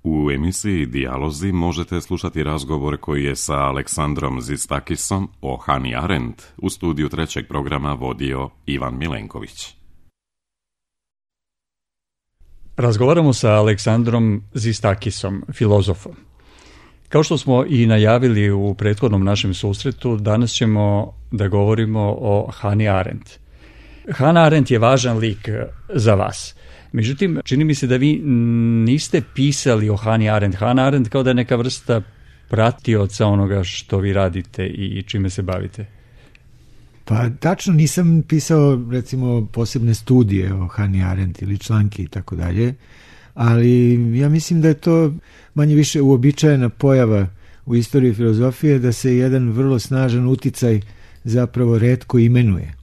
U emisiji Dijalozi možete slušati razgovor koji je sa Aleksandrom Zistakisom o Hannah Arendt u studiju trećeg programa vodio Ivan Milenković. Razgovaramo sa Aleksandrom Zistakisom, filozofom. Kao što smo i najavili u prethodnom našem susretu, danas ćemo da govorimo o Hannah Arendt. Hannah Arendt je važan lik za vas. Međutim, čini mi se da vi niste pisali o Hannah Arendt. Hannah Arendt kao da je neka vrsta pratioca onoga što vi radite i čime se bavite. Pa tačno nisam pisao recimo posebne studije o Hannah Arendt ili članke i tako dalje, ali ja mislim da je to manje više uobičajena pojava u istoriji filozofije da se jedan vrlo snažan uticaj zapravo retko imenuje.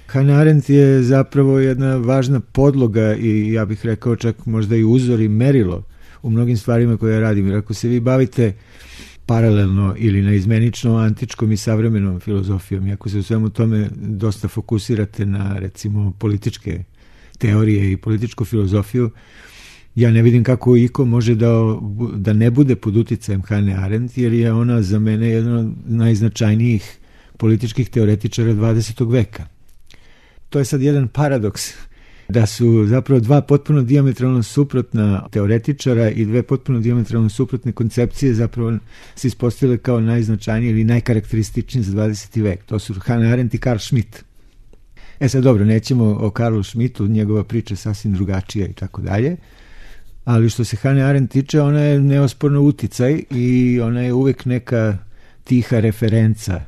Hannah Arendt je zapravo jedna važna podloga i ja bih rekao čak možda i uzor i merilo u mnogim stvarima koje ja radim. Jer ako se vi bavite paralelno ili naizmenično antičkom i savremenom filozofijom, i ako se u svemu tome dosta fokusirate na recimo političke teorije i političku filozofiju, ja ne vidim kako iko može da ne bude pod uticajem Hannah Arendt, jer je ona za mene jedna od najznačajnijih političkih teoretičara 20. veka. To je sad jedan paradoks, da su zapravo dva potpuno dijametralno suprotna teoretičara i dve potpuno dijametralno suprotne koncepcije zapravo se ispostavile kao najznačajnije ili najkarakterističnije za 20. vek. To su Hannah Arendt i Carl Schmitt. Sad dobro, nećemo o Karlu Schmittu, njegova priča je sasvim drugačija i tako dalje, ali što se Hannah Arendt tiče, ona je neosporno uticaj i ona je uvek neka tiha referenca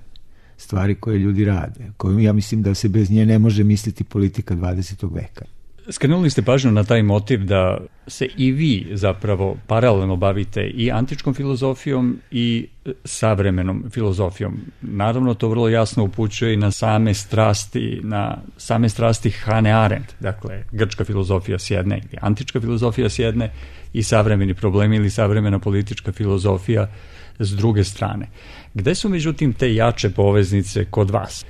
stvari koje ljudi rade, koju ja mislim da se bez nje ne može misliti politika 20. veka. Skrenuli ste pažnju na taj motiv da se i vi zapravo paralelno bavite i antičkom filozofijom i savremenom filozofijom. Naravno, to vrlo jasno upućuje i na same strasti Hannah Arendt, dakle, grčka filozofija s jedne ili antička filozofija s jedne i savremeni problemi ili savremena politička filozofija s druge strane. Gde su međutim te jače poveznice kod vas?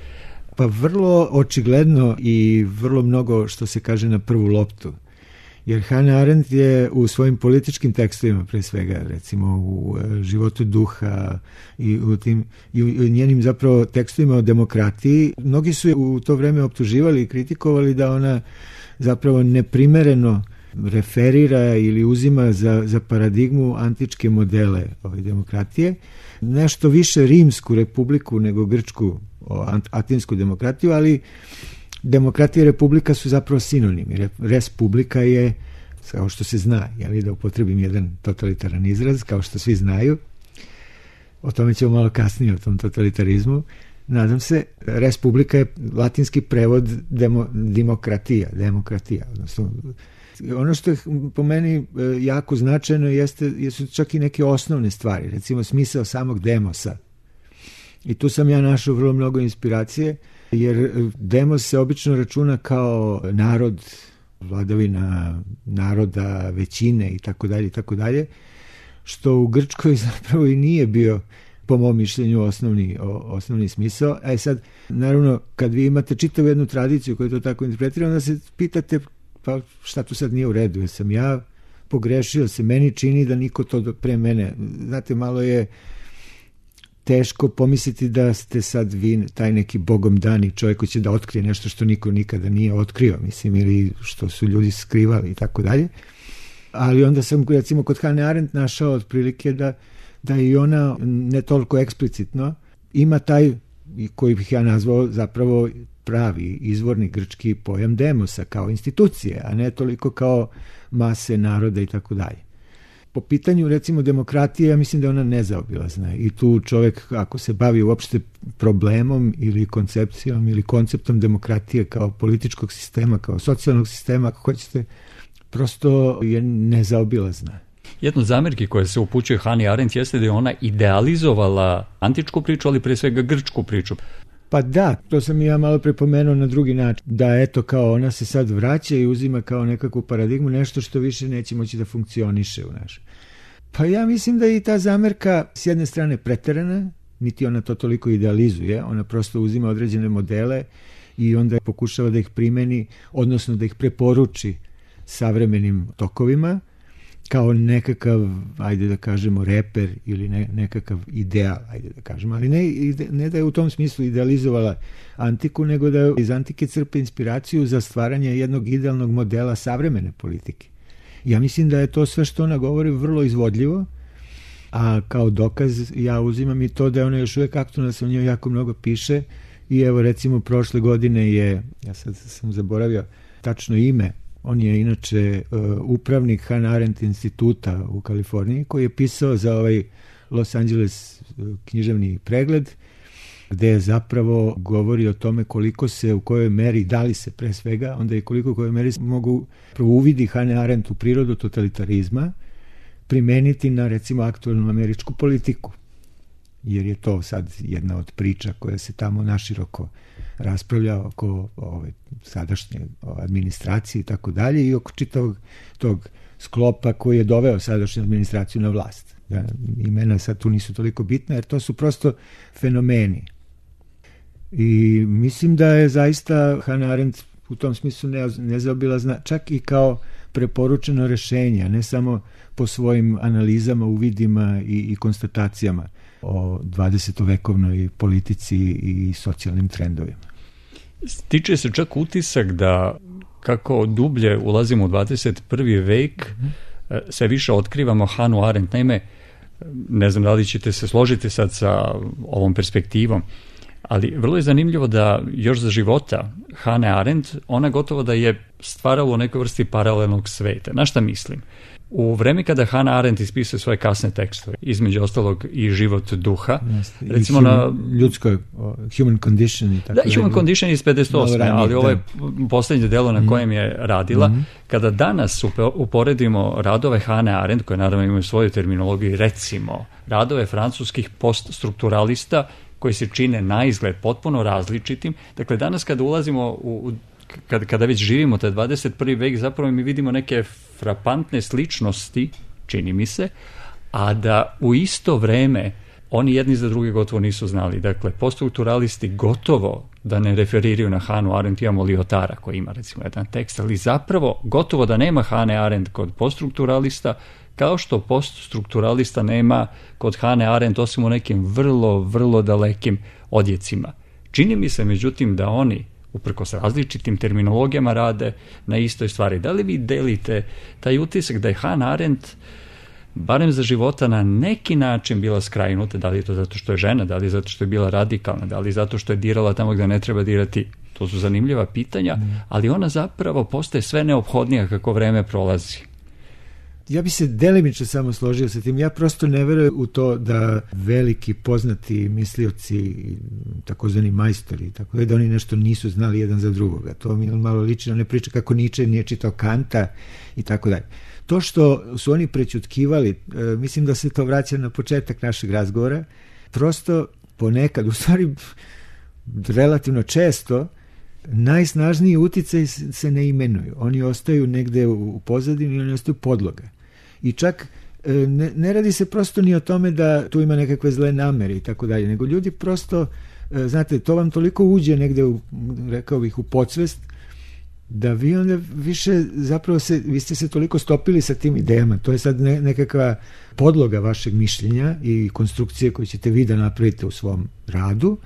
Pa vrlo očigledno i vrlo mnogo što se kaže na prvu loptu. Jer Hannah Arendt je u svojim političkim tekstovima, pre svega recimo u Životu duha i u njenim zapravo tekstovima o demokratiji, mnogi su je u to vreme optuživali i kritikovali da ona zapravo neprimereno referira ili uzima za paradigmu antičke modele ove demokratije, nešto više rimsku republiku nego grčku atinsku demokratiju, ali demokratija i republika su zapravo sinonimi. Res publica je, kao što se zna, da upotrebim jedan totalitaran izraz, kao što svi znaju, o tome ćemo malo kasnije, o tom totalitarizmu, nadam se, res publica je latinski prevod demokratija, odnosno ono što je po meni jako značajno jesu čak i neke osnovne stvari, recimo smisao samog demosa. I tu sam ja našao vrlo mnogo inspiracije, jer demos se obično računa kao narod, vladavina naroda, većine i tako dalje, što u Grčkoj zapravo i nije bio, po mom mišljenju, osnovni smisao. Sad, naravno, kad vi imate čitavu jednu tradiciju koja je to tako interpretira, onda se pitate, pa šta tu sad nije u redu, jer sam ja pogrešio, se meni čini da niko to pre mene. Znate, malo je teško pomisliti da ste sad vi taj neki bogom dani čovjek koji će da otkrije nešto što niko nikada nije otkrio, mislim, ili što su ljudi skrivali i tako dalje. Ali onda sam, recimo, kod Hannah Arendt našao otprilike da i ona ne toliko eksplicitno ima taj, koji bih ja nazvao zapravo pravi izvorni grčki pojam demosa kao institucije, a ne toliko kao mase naroda i tako dalje. Po pitanju, recimo, demokratije, ja mislim da je ona nezaobilazna i tu čovjek, ako se bavi uopšte problemom ili koncepcijom ili konceptom demokratije kao političkog sistema, kao socijalnog sistema, ako hoćete, prosto je nezaobilazna. Jedna od zamerki koja se upućuje Hannah Arendt jeste da je ona idealizovala antičku priču, ali pre svega grčku priču. Pa da, to sam i ja malo prepomenuo na drugi način, da eto kao ona se sad vraća i uzima kao nekakvu paradigmu, nešto što više neće moći da funkcioniše u našem. Pa ja mislim da je i ta zamerka s jedne strane preterana, niti ona to toliko idealizuje, ona prosto uzima određene modele i onda pokušava da ih primeni, odnosno da ih preporuči savremenim tokovima, kao nekakav, ajde da kažemo, reper ili nekakav ideal, ajde da kažemo, ali ne da je u tom smislu idealizovala antiku, nego da iz antike crpe inspiraciju za stvaranje jednog idealnog modela savremene politike. Ja mislim da je to sve što ona govori vrlo izvodljivo, a kao dokaz ja uzimam i to da je ona još uvijek aktualna, da se o njoj jako mnogo piše i evo recimo prošle godine je, ja sad sam zaboravio tačno ime, on je inače upravnik Hannah Arendt instituta u Kaliforniji koji je pisao za ovaj Los Angeles književni pregled gde je zapravo govori o tome koliko se u kojoj meri, da li se pre svega, onda i koliko u kojoj meri mogu uvidi Hannah Arendt u prirodu totalitarizma primeniti na recimo aktualnu američku politiku. Jer je to sad jedna od priča koja se tamo naširoko raspravlja oko sadašnje administracije i tako dalje i oko čitavog tog sklopa koji je doveo sadašnju administraciju na vlast. Imena sad tu nisu toliko bitna jer to su prosto fenomeni. I mislim da je zaista Hannah Arendt u tom smislu nezaobilazna čak i kao preporučeno rešenje, a ne samo po svojim analizama, uvidima i konstatacijama o 20-vekovnoj politici i socijalnim trendovima. Stiče se čak utisak da kako dublje ulazimo u 21. vek, sve više otkrivamo Hannah Arendt. Naime, ne znam da li ćete se složiti sad sa ovom perspektivom, ali vrlo je zanimljivo da još za života Hannah Arendt, ona gotovo da je stvarala u nekoj vrsti paralelnog sveta. Na šta mislim? U vreme kada Hannah Arendt ispisuje svoje kasne tekstove, između ostalog i Život duha, recimo na ljudskoj Human Condition i tako. Da, Human Condition iz 58. Ali ovo je posljednje delo na kojem je radila. Kada danas uporedimo radove Hannah Arendt, koje naravno imaju svoju terminologiju, recimo radove francuskih poststrukturalista koji se čine na izgled potpuno različitim. Dakle, danas kada ulazimo kada već živimo taj 21. vek, zapravo mi vidimo neke frapantne sličnosti, čini mi se, a da u isto vreme oni jedni za druge gotovo nisu znali. Dakle, poststrukturalisti gotovo da ne referiraju na Hannah Arendt, imamo Lyotara koji ima recimo jedan tekst, ali zapravo gotovo da nema Hannah Arendt kod poststrukturalista, kao što poststrukturalista nema kod Hannah Arendt osim u nekim vrlo, vrlo dalekim odjecima. Čini mi se, međutim, da oni uprkos različitim terminologijama rade na istoj stvari. Da li vi delite taj utisak da je Hannah Arendt barem za života na neki način bila skrajnuta, da li je to zato što je žena, da li je zato što je bila radikalna, da li je zato što je dirala tamo gdje ne treba dirati, to su zanimljiva pitanja, ali ona zapravo postaje sve neophodnija kako vreme prolazi. Ja bi se delimično samo složio sa tim. Ja prosto ne verujem u to da veliki poznati mislioci, takozvani majstori, tako da oni nešto nisu znali jedan za drugoga. To mi malo liči na ne priča kako Nietzsche nije čitao Kanta i tako dalje. To što su oni prećutkivali, mislim da se to vraća na početak našeg razgovora, prosto ponekad, u stvari relativno često, najsnažniji uticaj se ne imenuju. Oni ostaju negde u pozadini, oni ostaju podloga. I čak ne radi se prosto ni o tome da tu ima nekakve zle namere i tako dalje, nego ljudi prosto, znate, to vam toliko uđe negde, rekao bih, u podsvest, da vi onda više zapravo vi ste se toliko stopili sa tim idejama. To je sad nekakva podloga vašeg mišljenja i konstrukcije koje ćete vi da napravite u svom radu,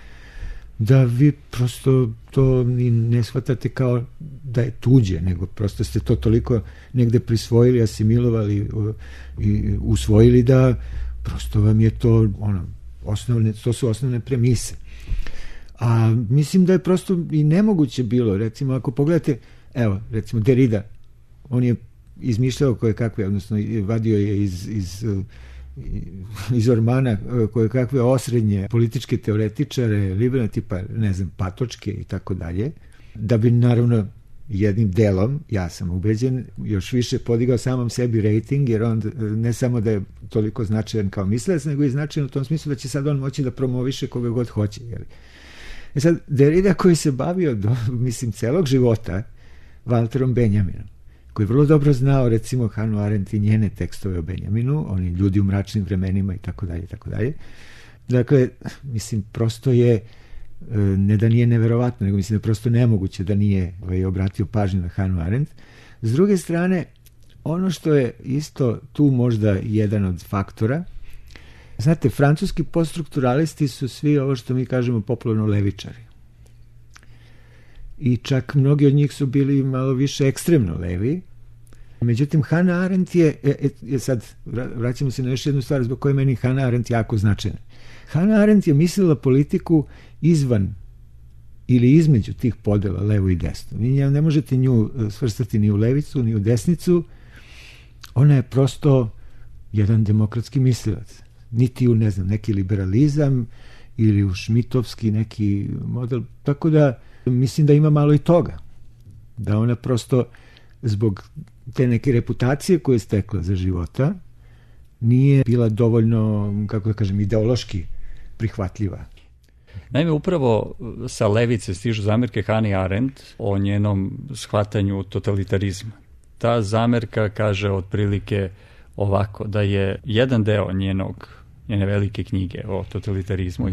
da vi prosto to ne shvatate kao da je tuđe, nego prosto ste to toliko negde prisvojili, asimilovali i usvojili da prosto vam je to to su osnovne premise. A mislim da je prosto i nemoguće bilo, recimo ako pogledate, evo, recimo Derrida, on je izmišljao koje kakve, odnosno vadio je iz ormana koje kakve osrednje političke teoretičare, liberalne tipa, ne znam, Patočke i tako dalje, da bi naravno jednim delom, ja sam ubeđen, još više podigao samom sebi rating, jer on ne samo da je toliko značajan kao mislilac, nego i značajan u tom smislu da će sad on moći da promoviše koga god hoće. Jel? E sad, Derrida koji se bavio mislim celog života Walterom Benjaminom, koji je vrlo dobro znao recimo Hannah Arendt i njene tekstove o Benjaminu, oni ljudi u mračnim vremenima i tako dalje, tako dalje. Dakle, mislim, prosto je, ne da nije neverovatno, nego mislim da je prosto nemoguće da nije obratio pažnju na Hannah Arendt. S druge strane, Ono što je isto tu možda jedan od faktora, znate, francuski poststrukturalisti su svi ovo što mi kažemo popularno levičari. I čak mnogi od njih su bili malo više ekstremno levi. Međutim, Hannah Arendt je sad vraćamo se na još jednu stvar zbog koje meni Hannah Arendt jako značajna. Hannah Arendt je mislila politiku izvan ili između tih podela, levo i desno. Vi ne možete nju svrstati ni u levicu, ni u desnicu. Ona je prosto jedan demokratski mislilac. Niti u, ne znam, neki liberalizam ili u šmitovski neki model. Tako da mislim da ima malo i toga. Da ona prosto zbog te neke reputacije koje je stekla za života nije bila dovoljno, kako da kažem, ideološki prihvatljiva. Naime, upravo sa levice stižu zamerke Hannah Arendt o njenom shvatanju totalitarizma. Ta zamerka kaže otprilike ovako, da je jedan deo njene velike knjige o totalitarizmu,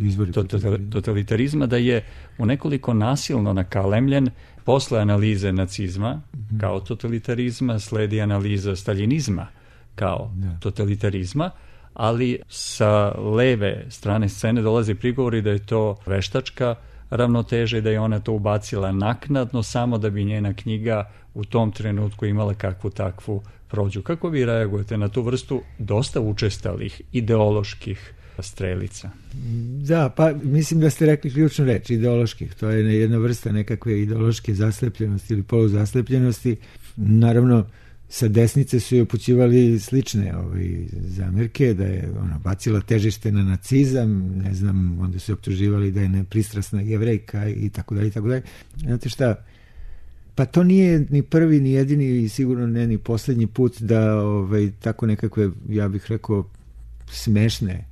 izvori totalitarizma, da je u nekoliko nasilno nakalemljen. Posle analize nacizma kao totalitarizma sledi analiza staljinizma kao totalitarizma, ali sa leve strane scene dolaze prigovori da je to veštačka ravnoteža i da je ona to ubacila naknadno samo da bi njena knjiga u tom trenutku imala kakvu takvu prođu. Kako vi reagujete na tu vrstu dosta učestalih ideoloških strelica? Da, pa mislim da ste rekli ključnu reč, ideoloških. To je jedna vrsta nekakve ideološke zaslepljenosti ili poluzaslepljenosti. Naravno, sa desnice su joj upućivali slične zamerke, da je ona bacila težište na nacizam, ne znam, onda su optuživali da je nepristrasna Jevrejka i tako dalje, i tako dalje. Znate šta, pa to nije ni prvi, ni jedini i sigurno ne ni poslednji put da tako nekakve, ja bih rekao, smešne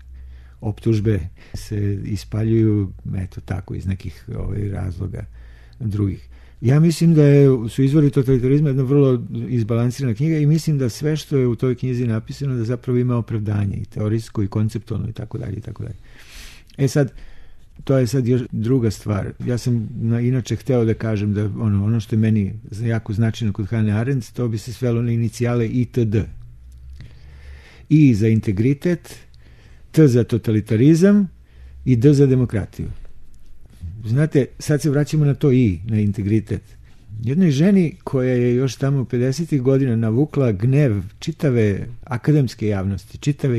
optužbe se ispaljuju, eto tako, iz nekih razloga drugih. Ja mislim da su izvori totalitarizma jedna vrlo izbalansirana knjiga i mislim da sve što je u toj knjizi napisano da zapravo ima opravdanje i teorijsko i konceptualno i tako dalje i tako dalje. Sad, to je sad još druga stvar. Ja sam inače hteo da kažem da ono što je meni jako značajno kod Hannah Arendt, to bi se svelo na inicijale ITD. I za integritet, T za totalitarizam i D za demokratiju. Znate, sad se vraćamo na to I, na integritet. Jednoj ženi koja je još tamo 50. godina navukla gnev čitave akademske javnosti, čitave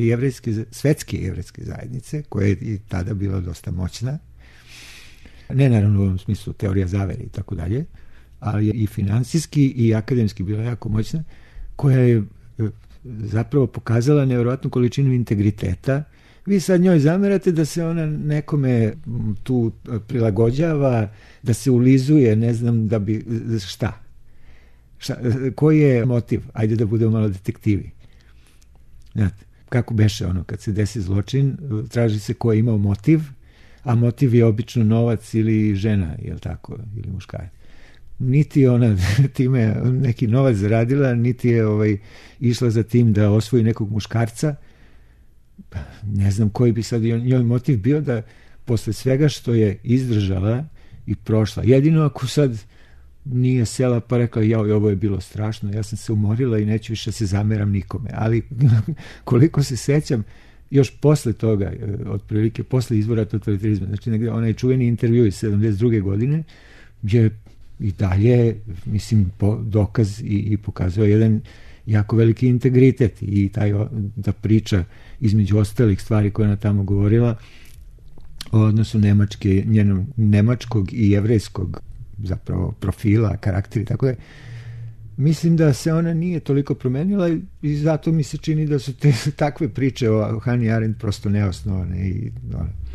svetske jevrejske zajednice, koja je i tada bila dosta moćna, ne naravno u ovom smislu teorija zavere i tako dalje, ali je i finansijski i akademski bila jako moćna, koja je zapravo pokazala nevjerojatnu količinu integriteta. Vi sad njoj zamerate da se ona nekome tu prilagođava, da se ulizuje, ne znam, da bi, šta? Koji je motiv? Ajde da budemo malo detektivi. Znate, kako beše ono, kad se desi zločin, traži se ko je imao motiv, a motiv je obično novac ili žena, jel tako, ili muškarac. Niti ona time neki novac zaradila, niti je išla za tim da osvoji nekog muškarca. Ne znam koji bi sad njoj motiv bio da posle svega što je izdržala i prošla. Jedino ako sad nije sela pa rekla ovo je bilo strašno, ja sam se umorila i neću više se zameram nikome. Ali koliko se sećam, još posle toga, otprilike posle izvora totalitarizma, znači negde onaj čuveni intervju iz 72. godine, je i dalje, mislim, dokaz i pokazao jedan jako veliki integritet i ta priča između ostalih stvari koje ona tamo govorila o odnosu njenog nemačkog i jevrejskog zapravo profila, karakteri, tako da mislim da se ona nije toliko promenila i zato mi se čini da su te takve priče o Hannah Arendt prosto neosnovane i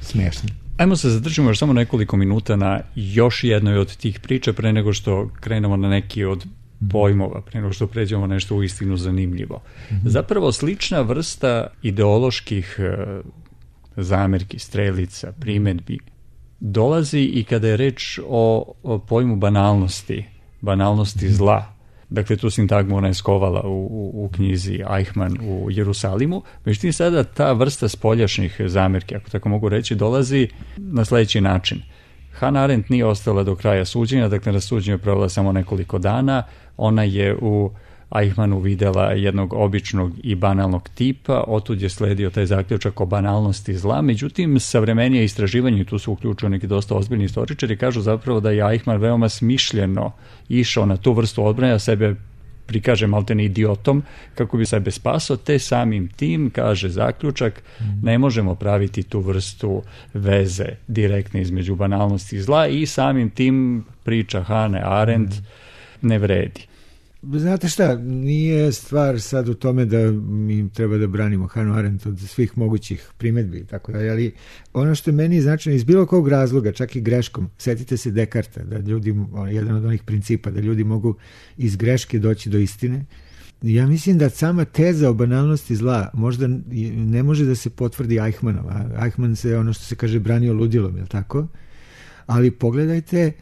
smešne. Ajmo se zadržimo još samo nekoliko minuta na još jednoj od tih priča pre nego što krenemo na neki od pojmova, pre nego što pređemo nešto uistinu zanimljivo. Zapravo slična vrsta ideoloških zamerki, strelica, primedbi dolazi i kada je reč o pojmu banalnosti zla. Dakle, tu sintagmu ona je skovala u knjizi Eichmann u Jerusalimu. Međutim, sada ta vrsta spoljašnjih zamerki, ako tako mogu reći, dolazi na sledeći način. Hannah Arendt nije ostala do kraja suđenja, dakle na suđenju je provela samo nekoliko dana. Ona je u Eichmannu videla jednog običnog i banalnog tipa, otud je sledio taj zaključak o banalnosti zla. Međutim, savremenije istraživanje, i tu su uključeni neki dosta ozbiljni istoričari, kažu zapravo da je Eichmann veoma smišljeno išao na tu vrstu odbrane, a sebe prikaže maltene idiotom kako bi sebe spasao, te samim tim, kaže zaključak, ne možemo praviti tu vrstu veze direktne između banalnosti i zla i samim tim priča Hane Arendt ne vredi. Znate šta, nije stvar sad u tome da mi treba da branimo Hanu Arendt od svih mogućih primedbi, tako da, ali ono što meni značajno iz bilo kog razloga, čak i greškom, setite se Dekarta, da ljudi, jedan od onih principa, da ljudi mogu iz greške doći do istine. Ja mislim da sama teza o banalnosti zla možda ne može da se potvrdi Eichmannom. Eichmann se, ono što se kaže, branio ludilom, je li tako? Ali pogledajte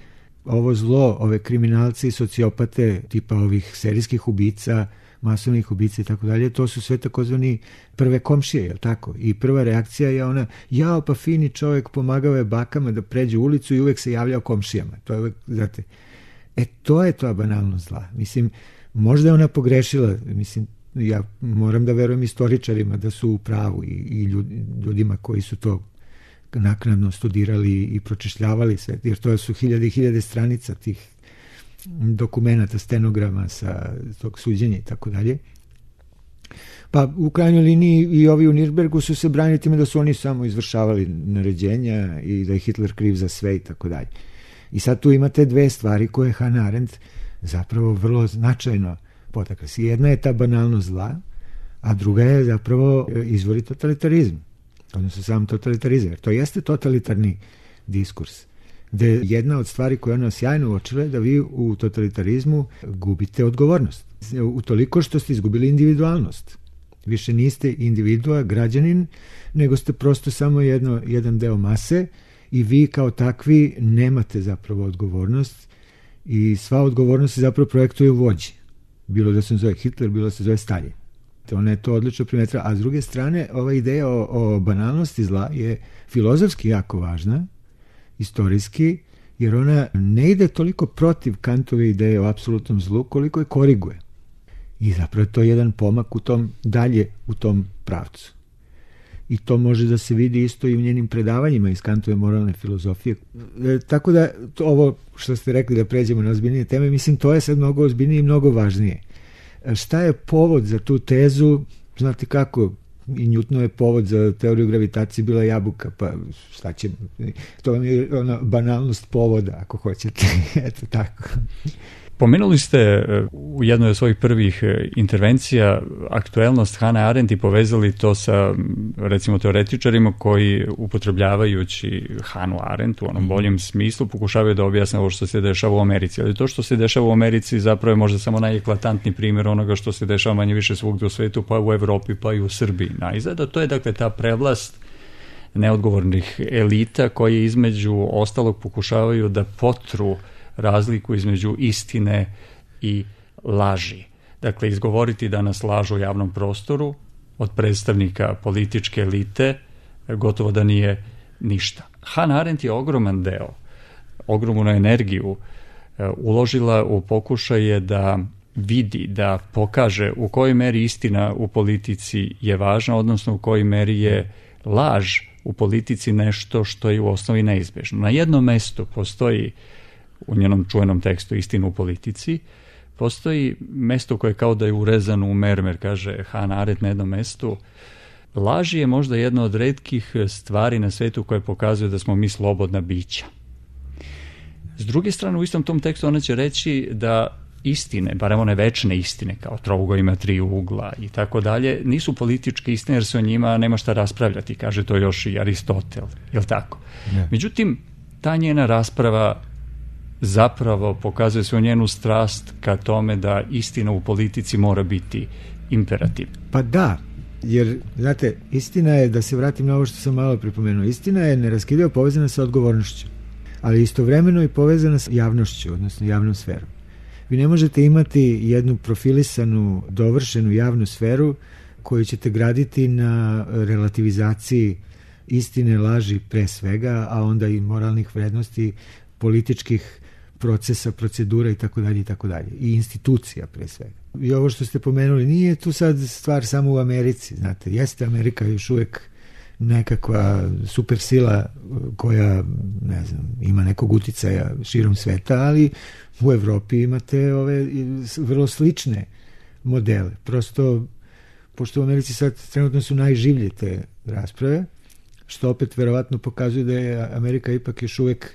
ovo zlo, ove kriminalce i sociopate tipa ovih serijskih ubica, masovnih ubica i tako dalje, to su sve takozvani prve komšije, je li tako? I prva reakcija je ona, jao pa fini čovjek, pomagao je bakama da pređe ulicu i uvek se javljao komšijama. To je uvek, znate, to je to banalnost zla. Mislim, možda je ona pogrešila, mislim, ja moram da verujem istoričarima da su u pravu i ljudima koji su to naknadno studirali i pročešljavali sve, jer to su hiljade i hiljade stranica tih dokumenata, stenograma sa tog suđenja i tako dalje. Pa u krajnjoj liniji i ovi u Nirnbergu su se branili time da su oni samo izvršavali naređenja i da je Hitler kriv za sve i tako dalje. I sad tu imate dve stvari koje Hannah Arendt zapravo vrlo značajno potakla. Jedna je ta banalnost zla, a druga je zapravo izvori totalitarizma. Odnosno sam totalitarizam, jer to jeste totalitarni diskurs, gde jedna od stvari koje ona sjajno uočila je da vi u totalitarizmu gubite odgovornost. Utoliko što ste izgubili individualnost. Više niste individua, građanin, nego ste prosto samo jedan deo mase i vi kao takvi nemate zapravo odgovornost i sva odgovornost se zapravo projektuje u vođi. Bilo da se zove Hitler, bilo da se zove Stalin. Ona je to odlično primetila, a s druge strane ova ideja o banalnosti zla je filozofski jako važna, istorijski, jer ona ne ide toliko protiv Kantove ideje o apsolutnom zlu, koliko je koriguje. I zapravo je to jedan pomak dalje u tom pravcu. I to može da se vidi isto i u njenim predavanjima iz Kantove moralne filozofije. Tako da ovo što ste rekli da pređemo na ozbiljnije teme, mislim to je sad mnogo ozbiljnije i mnogo važnije. Šta je povod za tu tezu? Znate kako, i Newtonov je povod za teoriju gravitacije bila jabuka, pa šta će, to vam je ona banalnost povoda, ako hoćete. Eto tako. Pomenuli ste u jednoj od svojih prvih intervencija aktuelnost Hannah Arendt i povezali to sa, recimo, teoretičarima koji upotrebljavajući Hannah Arendt u onom boljem smislu pokušavaju da objasne ovo što se dešava u Americi. Ali to što se dešava u Americi zapravo je možda samo najeklatantni primjer onoga što se dešava manje više svugdje u svetu, pa u Evropi, pa i u Srbiji. Najzad, to je dakle ta prevlast neodgovornih elita koje između ostalog pokušavaju da potru razliku između istine i laži. Dakle, izgovoriti da nas lažu u javnom prostoru od predstavnika političke elite gotovo da nije ništa. Hannah Arendt je ogroman deo, ogromnu energiju uložila u pokušaje da vidi, da pokaže u kojoj meri istina u politici je važna, odnosno u kojoj meri je laž u politici nešto što je u osnovi neizbežno. Na jednom mestu postoji, u njenom čuvenom tekstu Istina u politici, postoji mesto koje kao da je urezano u mermer, kaže Hannah Arendt na jednom mestu. Laž je možda jedna od retkih stvari na svetu koje pokazuje da smo mi slobodna bića. S druge strane, u istom tom tekstu ona će reći da istine, barem one večne istine, kao trougao ima tri ugla i tako dalje, nisu političke istine jer se o njima nema šta raspravljati, kaže to još i Aristotel, je li tako? Ne. Međutim, ta njena rasprava zapravo pokazuje svoju njenu strast ka tome da istina u politici mora biti imperativ. Pa da, jer, znate, istina je, da se vratim na ovo što sam malo pripomenuo, istina je neraskidivo povezana sa odgovornošću, ali istovremeno i povezana sa javnošću, odnosno javnom sferom. Vi ne možete imati jednu profilisanu, dovršenu javnu sferu koju ćete graditi na relativizaciji istine, laži pre svega, a onda i moralnih vrednosti, političkih procesa, procedura i tako dalje i tako dalje. I institucija pre svega. I ovo što ste pomenuli, nije tu sad stvar samo u Americi, znate, jeste Amerika još uvek nekakva super sila koja, ne znam, ima nekog uticaja širom sveta, ali u Evropi imate ove vrlo slične modele. Prosto, pošto u Americi sad trenutno su najživlje te rasprave, što opet verovatno pokazuje da je Amerika ipak još uvek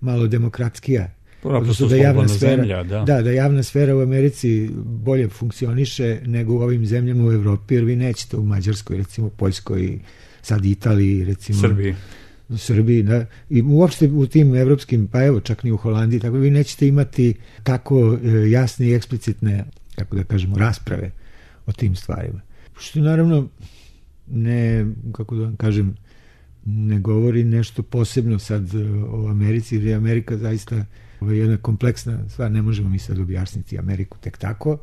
malo demokratskija. Odnosno da javna sfera, da javna sfera u Americi bolje funkcioniše nego u ovim zemljama u Evropi, jer vi nećete u Mađarskoj, recimo Poljskoj, sad Italiji, recimo Srbiji, da, i uopšte u tim evropskim, pa evo čak ni u Holandiji, tako vi nećete imati tako jasne i eksplicitne, kako da kažemo, rasprave o tim stvarima. Što naravno ne, kako da vam kažem, ne govori nešto posebno sad o Americi, jer je Amerika zaista jedna kompleksna stvar, ne možemo mi sad objasniti Ameriku tek tako,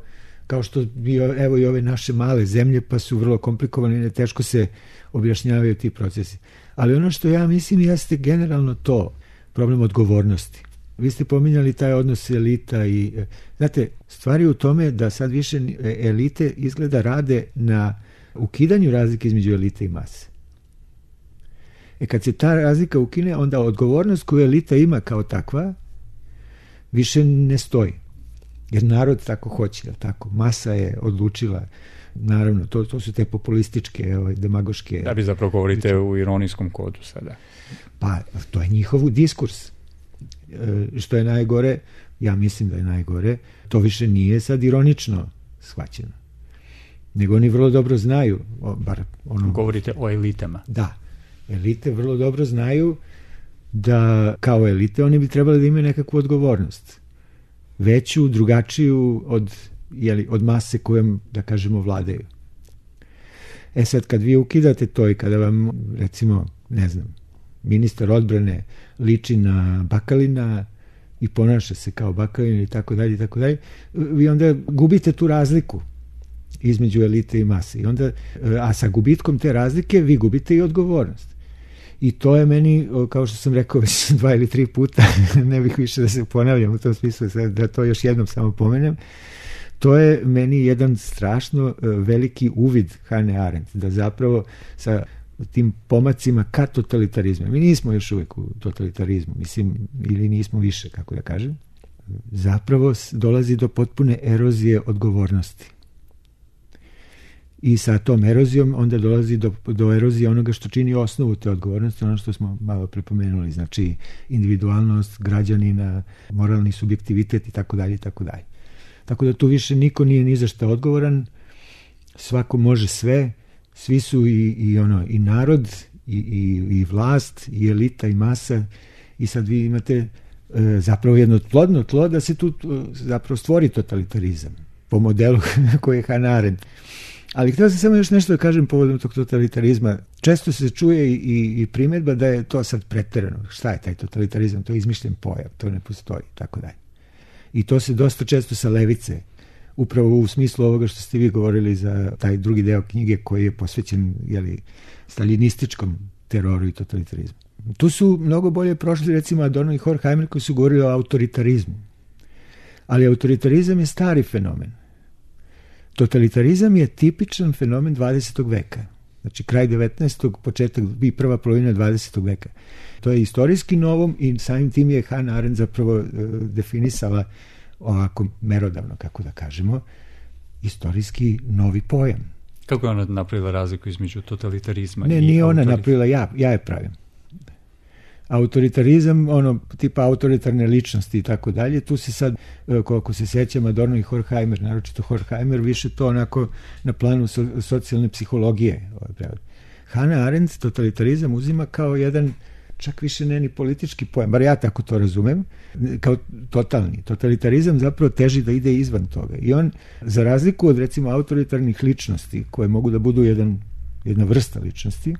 kao što bi, evo i ove naše male zemlje, pa su vrlo komplikovane i teško se objašnjavaju ti procesi. Ali ono što ja mislim jeste generalno to, problem odgovornosti. Vi ste pominjali taj odnos elita i, znate, stvari u tome da sad više elite izgleda rade na ukidanju razlike između elite i mase. Kad se ta razlika ukine, onda odgovornost koju elita ima kao takva više ne stoji. Jer narod tako hoće, tako. Masa je odlučila, naravno, to su te populističke, demagoške... Da bi zapravo govorite u ironijskom kodu sada. Pa, to je njihov diskurs. Što je najgore, ja mislim da je najgore, to više nije sad ironično shvaćeno. Nego oni vrlo dobro znaju, bar ono... Govorite o elitama. Da. Elite vrlo dobro znaju da kao elite oni bi trebali da imaju nekakvu odgovornost. Veću, drugačiju od mase kojom, da kažemo, vladaju. Sad, kad vi ukidate to i kada vam, recimo, ne znam, ministar odbrane liči na Bakalina i ponaša se kao Bakalin i tako dalje, vi onda gubite tu razliku između elite i mase. I onda, a sa gubitkom te razlike vi gubite i odgovornost. I to je meni, kao što sam rekao već 2 ili 3 puta, ne bih više da se ponavljam u tom smislu, da to još jednom samo pomenem, to je meni jedan strašno veliki uvid Hannah Arendt, da zapravo sa tim pomacima ka totalitarizmu, mi nismo još uvijek u totalitarizmu, mislim, ili nismo više, kako da kažem, zapravo dolazi do potpune erozije odgovornosti. I sa tom erozijom onda dolazi do erozije onoga što čini osnovu te odgovornosti, ono što smo malo prepomenuli, znači individualnost građanina, moralni subjektivitet i tako dalje i tako dalje. Tako da tu više niko nije ni za šta odgovoran, svako može sve, svi su i narod i vlast i elita i masa i sad vi imate zapravo jedno plodno tlo da se tu zapravo stvori totalitarizam po modelu koji je Hannah Arendt. Ali htio sam samo još nešto da kažem povodom tog totalitarizma. Često se čuje i primjedba da je to sad preterano. Šta je taj totalitarizam? To je izmišljen pojam, to ne postoji, tako dalje. I to se dosta često sa levice, upravo u smislu ovoga što ste vi govorili za taj drugi deo knjige koji je posvećen staljinističkom teroru i totalitarizmu. Tu su mnogo bolje prošli recimo Adorno i Horkheimer koji su govorili o autoritarizmu. Ali autoritarizam je stari fenomen. Totalitarizam je tipičan fenomen 20. veka. Znači kraj 19. početak i prva polovina 20. veka. To je istorijski novom i samim tim je Hannah Arendt zapravo definisala ovako merodavno, kako da kažemo, istorijski novi pojam. Kako je ona napravila razliku između totalitarizma? Ne, nije ona napravila, ja je pravim. Autoritarizam, tipa autoritarne ličnosti i tako dalje, tu se sad, koliko se sjećam, Adorno i Horkheimer, naročito Horkheimer, više to onako na planu socijalne psihologije. Hannah Arendt totalitarizam uzima kao jedan, čak više ne ni politički pojam, bar ja tako to razumem, kao totalni. Totalitarizam zapravo teži da ide izvan toga. I on, za razliku od recimo autoritarnih ličnosti, koje mogu da budu jedna vrsta ličnosti,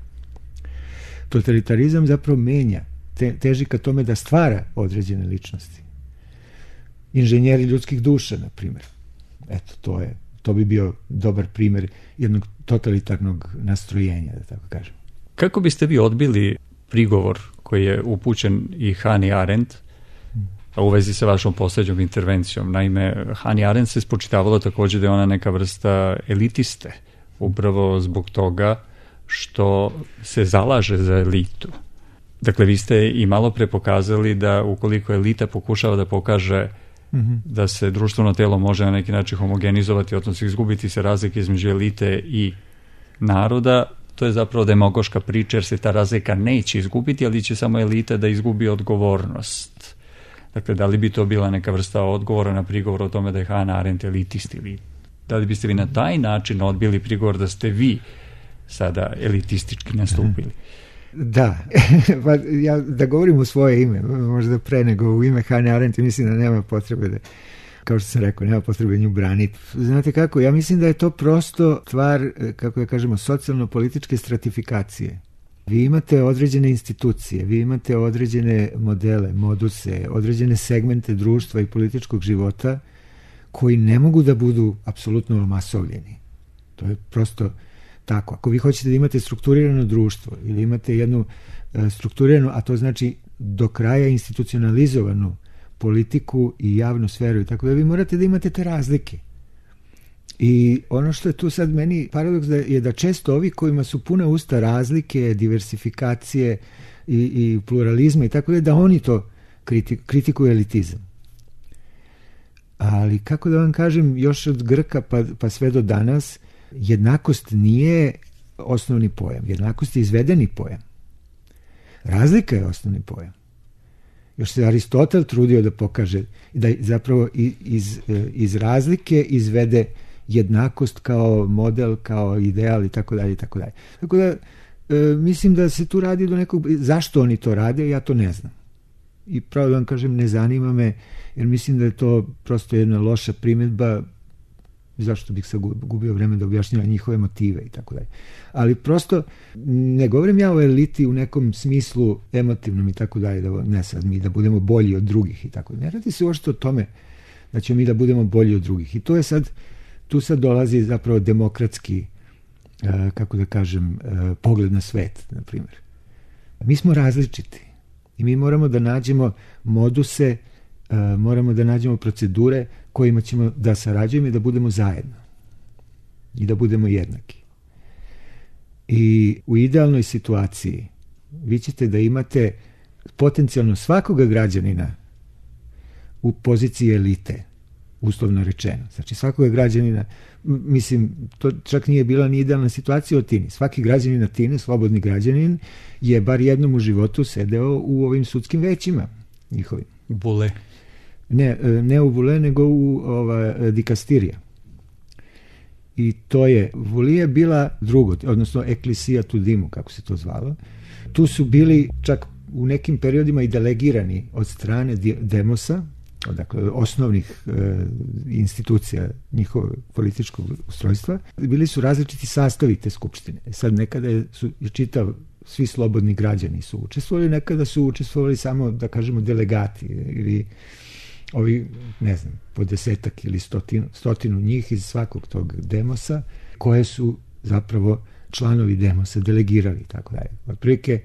totalitarizam zapravo menja, teži ka tome da stvara određene ličnosti. Inženjeri ljudskih duša, na primjer. Eto, to bi bio dobar primjer jednog totalitarnog nastrojenja, da tako kažem. Kako biste vi odbili prigovor koji je upućen i Hannah Arendt u vezi sa vašom posljednjom intervencijom. Naime, Hannah Arendt se spočitavalo također da je ona neka vrsta elitiste, upravo zbog toga što se zalaže za elitu. Dakle, vi ste i malo pre pokazali da ukoliko elita pokušava da pokaže da se društveno telo može na neki način homogenizovati, odnosno izgubiti se razlike između elite i naroda, to je zapravo demagoška priča, jer se ta razlika neće izgubiti, ali će samo elita da izgubi odgovornost. Dakle, da li bi to bila neka vrsta odgovora na prigovor o tome da je Hannah Arendt elitist, ili da li biste vi na taj način odbili prigovor da ste vi sada elitistički nastupili? Da, pa ja da govorim u svoje ime, možda pre nego u ime Hannah Arendt, mislim da nema potrebe da, kao što sam rekao, nema potrebe nju braniti. Znate kako, ja mislim da je to prosto stvar, kako ja kažemo, socijalno-političke stratifikacije. Vi imate određene institucije, vi imate određene modele, moduse, određene segmente društva i političkog života koji ne mogu da budu apsolutno omasovljeni. To je prosto tako. Ako vi hoćete da imate strukturirano društvo ili imate jednu strukturiranu, a to znači do kraja institucionalizovanu politiku i javnu sferu i tako da, vi morate da imate te razlike. I ono što je tu sad meni paradoks je da često ovi kojima su puna usta razlike, diversifikacije i pluralizma i tako da oni to kritikuju elitizam. Ali kako da vam kažem, još od Grka pa sve do danas, jednakost nije osnovni pojam. Jednakost je izvedeni pojam. Razlika je osnovni pojam. Još se Aristotel trudio da pokaže da zapravo iz razlike izvede jednakost kao model, kao ideal i tako dalje i tako dalje. Tako da mislim da se tu radi do nekog, zašto oni to rade, ja to ne znam. I pravo da vam kažem, ne zanima me, jer mislim da je to prosto jedna loša primjedba, zašto bih se gubio vreme da objašnjava njihove motive i tako dalje. Ali prosto ne govorim ja o eliti u nekom smislu emotivnom i tako dalje, da ne sad mi da budemo bolji od drugih i tako dalje. Ne radi se uopšte o tome da ćemo mi da budemo bolji od drugih. I to je sad, tu sad dolazi zapravo demokratski, kako da kažem, pogled na svet, na primjer. Mi smo različiti i mi moramo da nađemo moduse, moramo da nađemo procedure kojima ćemo da sarađujemo i da budemo zajedno i da budemo jednaki. I u idealnoj situaciji vi ćete da imate potencijalno svakoga građanina u poziciji elite, uslovno rečeno. Znači svakoga građanina, mislim, to čak nije bila ni idealna situacija o Atini. Svaki građanin Atine, slobodni građanin, je bar jednom u životu sedeo u ovim sudskim većima njihovim. Bule. Ne u Vule, nego u dikastirija. I to je, Vulije bila drugo, odnosno Ecclesia Tudimu, kako se to zvalo. Tu su bili čak u nekim periodima i delegirani od strane demosa, dakle osnovnih institucija njihovog političkog ustrojstva. Bili su različiti sastavi te skupštine. Sad nekada su svi slobodni građani su učestvovali, nekada su učestvovali samo, da kažemo, delegati ili ovi, ne znam, po 10 ili 100 njih iz svakog tog demosa, koje su zapravo članovi demosa delegirali, tako dalje. Otprilike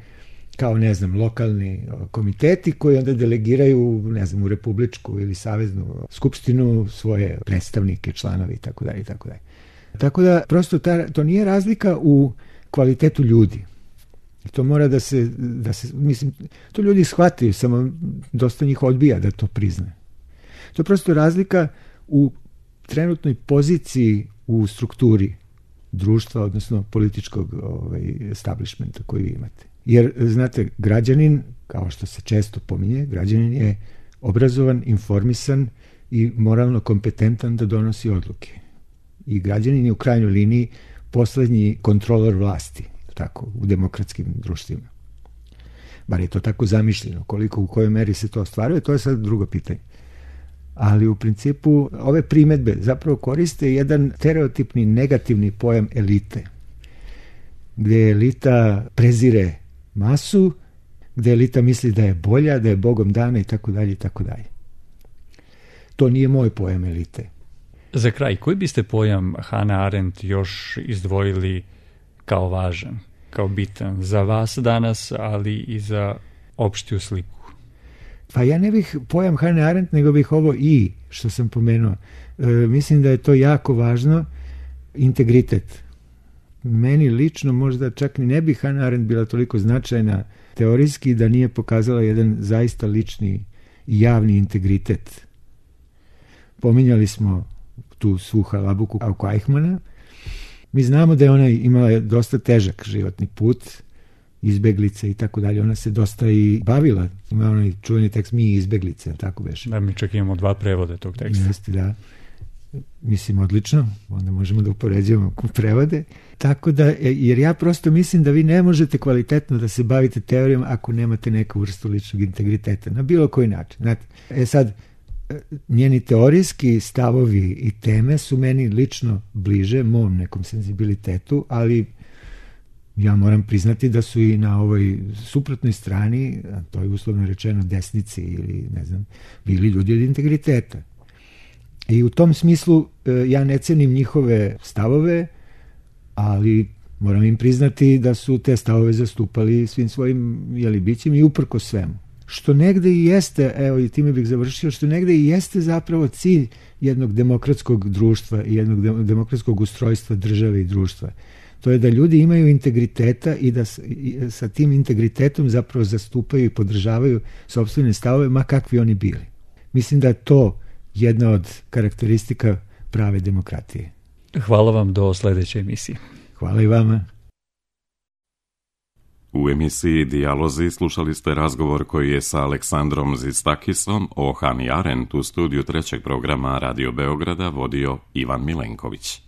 kao, ne znam, lokalni komiteti koji onda delegiraju, ne znam, u republičku ili saveznu skupštinu svoje predstavnike, članovi, tako dalje, tako dalje. Tako da, prosto, to nije razlika u kvalitetu ljudi. To mora da se, mislim, to ljudi shvataju, samo dosta njih odbija da to prizna. To je prosto razlika u trenutnoj poziciji u strukturi društva, odnosno političkog establishmenta koji vi imate. Jer, znate, građanin, kao što se često pominje, građanin je obrazovan, informisan i moralno kompetentan da donosi odluke. I građanin je u krajnjoj liniji poslednji kontrolor vlasti, tako, u demokratskim društvima. Bar je to tako zamišljeno. Koliko, u kojoj meri se to ostvaruje, to je sad drugo pitanje. Ali u principu ove primedbe zapravo koriste jedan stereotipni negativni pojam elite, gde elita prezire masu, gde elita misli da je bolja, da je Bogom dana i tako dalje i tako dalje. To nije moj pojam elite. Za kraj, koji biste pojam Hannah Arendt još izdvojili kao važan, kao bitan za vas danas, ali i za opštiju sliku? Pa ja ne bih pojam Hannah Arendt, nego bih ovo i, što sam pomenuo. Mislim da je to jako važno, integritet. Meni lično možda čak ni ne bi Hannah Arendt bila toliko značajna teorijski da nije pokazala jedan zaista lični i javni integritet. Pominjali smo tu svu halabuku oko Eichmanna. Mi znamo da je ona imala dosta težak životni put, izbeglice i tako dalje. Ona se dosta i bavila. Ima onaj čuveni tekst Mi izbeglice, tako beše. Da, mi čak imamo 2 prevode tog teksta. Jeste, da. Mislim, odlično. Onda možemo da upoređujemo prevode. Tako da, jer ja prosto mislim da vi ne možete kvalitetno da se bavite teorijom ako nemate neku vrstu ličnog integriteta. Na bilo koji način. Znate, sad, njeni teorijski stavovi i teme su meni lično bliže mom nekom senzibilitetu, ali ja moram priznati da su i na ovoj suprotnoj strani, to je uslovno rečeno desnici ili ne znam, bili ljudi od integriteta. I u tom smislu ja ne cenim njihove stavove, ali moram im priznati da su te stavove zastupali svim svojim bićima i uprko svemu. Što negde i jeste, evo i time bih završio, što negde i jeste zapravo cilj jednog demokratskog društva i jednog demokratskog ustrojstva države i društva. To je da ljudi imaju integriteta i da sa tim integritetom zapravo zastupaju i podržavaju sopstvene stavove, ma kakvi oni bili. Mislim da je to jedna od karakteristika prave demokratije. Hvala vam, do sledeće emisije. Hvala i vama. U emisiji Dijalozi slušali ste razgovor koji je sa Aleksandrom Zistakisom o Hannah Arendt u studiju trećeg programa Radio Beograda vodio Ivan Milenković.